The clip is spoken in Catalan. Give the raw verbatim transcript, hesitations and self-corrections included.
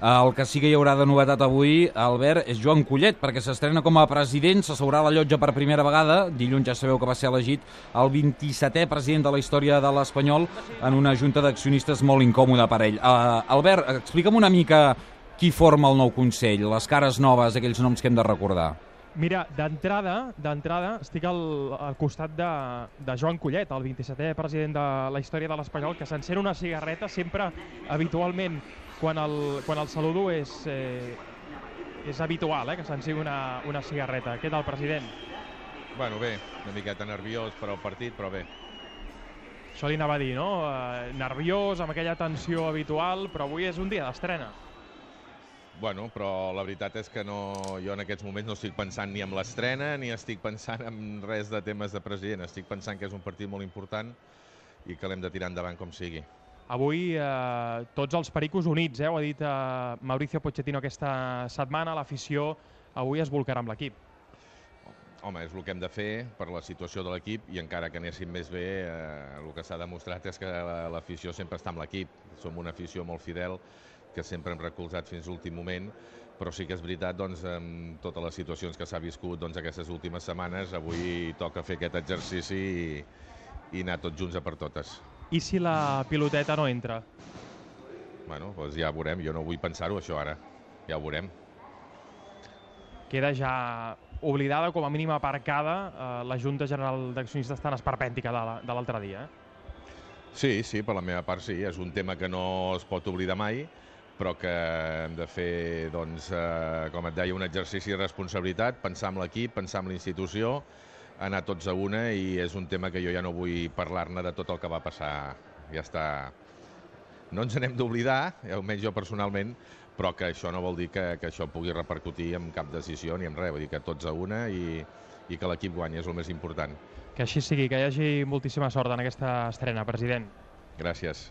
El que sí que hi haurà de novetat avui, Albert, és Joan Collet, perquè s'estrena com a president, s'asseurà a la llotja per primera vegada. Dilluns ja sabeu que va ser elegit el vint-i-setè president de la història de l'Espanyol en una junta d'accionistes molt incòmoda per ell. Uh, Albert, explica'm una mica qui forma el nou Consell, les cares noves, aquells noms que hem de recordar. Mira, d'entrada, d'entrada estic al, al costat de, de Joan Collet, el vint-i-setè president de la història de l'Espanyol, que s'encén una cigarreta sempre, habitualment, quan el, quan el saludo és, eh, és habitual, eh, que s'encén una, una cigarreta. Què tal, president? Bueno, bé, una miqueta nerviós per al partit, però bé. Això li anava a dir, no? Eh, nerviós, amb aquella tensió habitual, però avui és un dia d'estrena. Bueno, però la veritat és que no, jo en aquests moments no estic pensant ni en l'estrena ni estic pensant en res de temes de president. Estic pensant que és un partit molt important i que l'hem de tirar endavant com sigui. Avui eh, tots els pericos units, eh? Ho ha dit eh, Mauricio Pochettino aquesta setmana, l'afició avui es bolcarà amb l'equip. Home, és el que hem de fer per la situació de l'equip i encara que anéssim més bé, eh, el que s'ha demostrat és que l'afició sempre està amb l'equip. Som una afició molt fidel que sempre hem recolzat fins a l'últim moment, però sí que és veritat, doncs, amb totes les situacions que s'ha viscut doncs, aquestes últimes setmanes, avui toca fer aquest exercici i, i anar tots junts a per totes. I si la piloteta no entra? Bueno, doncs ja ho veurem, jo no vull pensar-ho això ara, ja ho veurem. Queda ja oblidada, com a mínim aparcada, eh, la Junta General d'Accionistes tan esperpèntica de l'altre dia, eh? Sí, sí, per la meva part sí, és un tema que no es pot oblidar mai, però que hem de fer, doncs, eh, com et deia, un exercici de responsabilitat, pensar en l'equip, pensar en la institució, anar tots a una, i és un tema que jo ja no vull parlar-ne de tot el que va passar. Ja està. No ens n'hem d'oblidar, almenys jo personalment, però que això no vol dir que, que això pugui repercutir en cap decisió ni en res, vull dir que tots a una i, i que l'equip guanyi és el més important. Que així sigui, que hi hagi moltíssima sort en aquesta estrena, president. Gràcies.